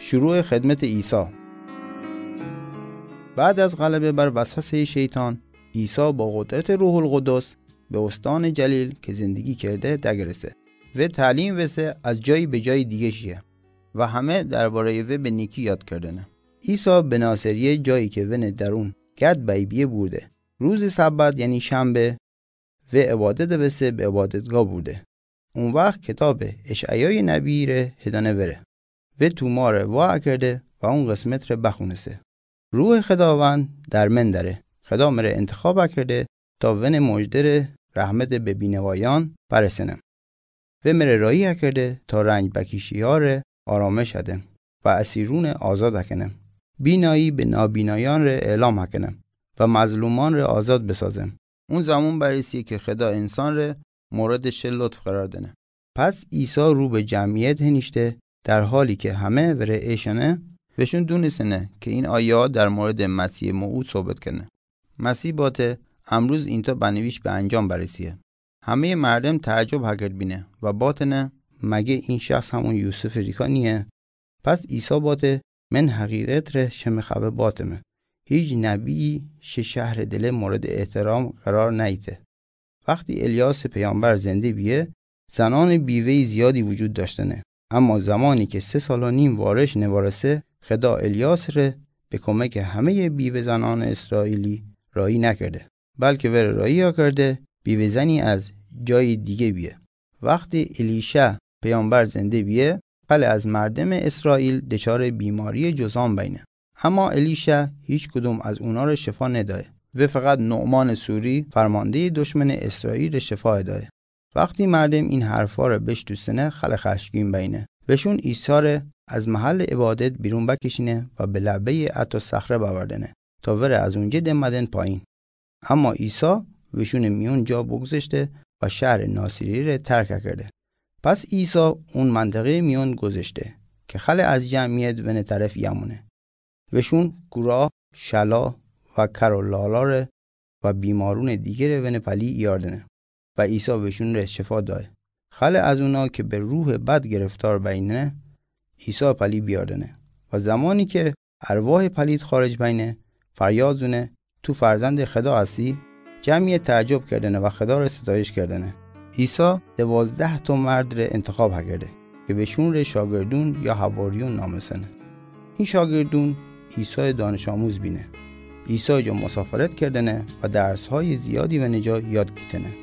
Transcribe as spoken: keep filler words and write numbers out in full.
شروع خدمت عیسی. بعد از غلبه بر وسوسهٔ شیطان، عیسی با قدرت روح‌القدس به استان جلیل که زندگی کرده دگرسه و تعلیم وسه از جایی به جای دیگه شیه و همه دربارهٔ وی به نیکی یاد کردنه. عیسی به ناصریه، جایی که ونه درون گد بیبیه بورده، روز سبت یعنی شنبه، و عبادت وسه به عبادتگاه بورده. او وخت کتاب اشعیای نبی ره هدانه وره. و توماره وا کرده و اون قسمت ره بخونسه: روح خداوند در من دره. خدا مره انتخاب کرده تا ون مژده ره، رحمت به بینوایان برسنم. و مره راهی کرده تا رنج بکیشه‌یان ره آرامش هدم و اسیرون آزاد کنم. بینایی به نابینایان ره اعلام کنم و مظلومان ره آزاد بسازم. اون زمان برسه که خدا انسان ره مورد شی لطف قرار دنه. پس عیسی رو به جمعیت هنیشته، در حالی که همه وره ایشنه، وشون دونستنه که این آیه در مورد مسیح موعود صحبت کنه. مسیح باته: امروز اینتا بنویش به انجام برسیه. همهٔ مردم تعجب هکرد بینه و باتنه: مگه این شخص همون یوسف ریکا نیه؟ پس عیسی باته: من حقیقت ره شمه خبر باتمه، هیچ نبیی شه شهر دله مورد احترام قرار نیته. وقتی الیاس پیامبر زنده بیه، زنان بیوهٔ زیادی وجود داشتنه. اما زمانی که سه سال و نیم وارش نوارسه، خدا الیاس ره به کمک همهٔ بیوه زنان اسرائیلی راهی نکرده، بلکه وره راهی کرده بیوه زنی از جای دیگه بیه. وقتی الیشع پیامبر زنده بیه، خلع از مردم اسرائیل دچار بیماری جذام بینه. اما الیشع هیچ کدوم از اونا ره شفا ندایه و فقط نعمان سوری، فرماندهٔ دشمن اسرائیل، ره شفا دایه. وقتی مردم این حرفا ره بشتوسنه، خلع خشمگین بینه. وشون عیسی ره از محل عبادت بیرون بکشینه و به لبهٔ حتی صخره باوردنه تا وره از اونجه دمدن پایین. اما عیسی وشون میون جا بگذشته و شهر ناصری ره ترک کرده. پس عیسی اون منطقهٔ میون گذشته که خلع از جمعیت ون طرف یمونه. وشون کورا، شلا و کر و لالا ره و بیمارون دیگه ره ون پلی ایاردنه و عیسی وشون ره شفا دایه. خلع از اونا که به روح بد گرفتار بینه، عیسی پلی بیاردنه و زمانی که ارواح پلید خارج بینه، فریاد زونه: تو فرزند خدا هستی؟ جمعیت تعجب کردنه و خدا ره ستایش کردنه. عیسی دوازده تا مرد ره انتخاب هکرده که وشون ره شاگردون یا حواریون نامسنه. این شاگردون عیسی دانش آموز بینه. عیسی جا مسافرت کردنه و درس‌های زیادی ون جا یاد گیتنه.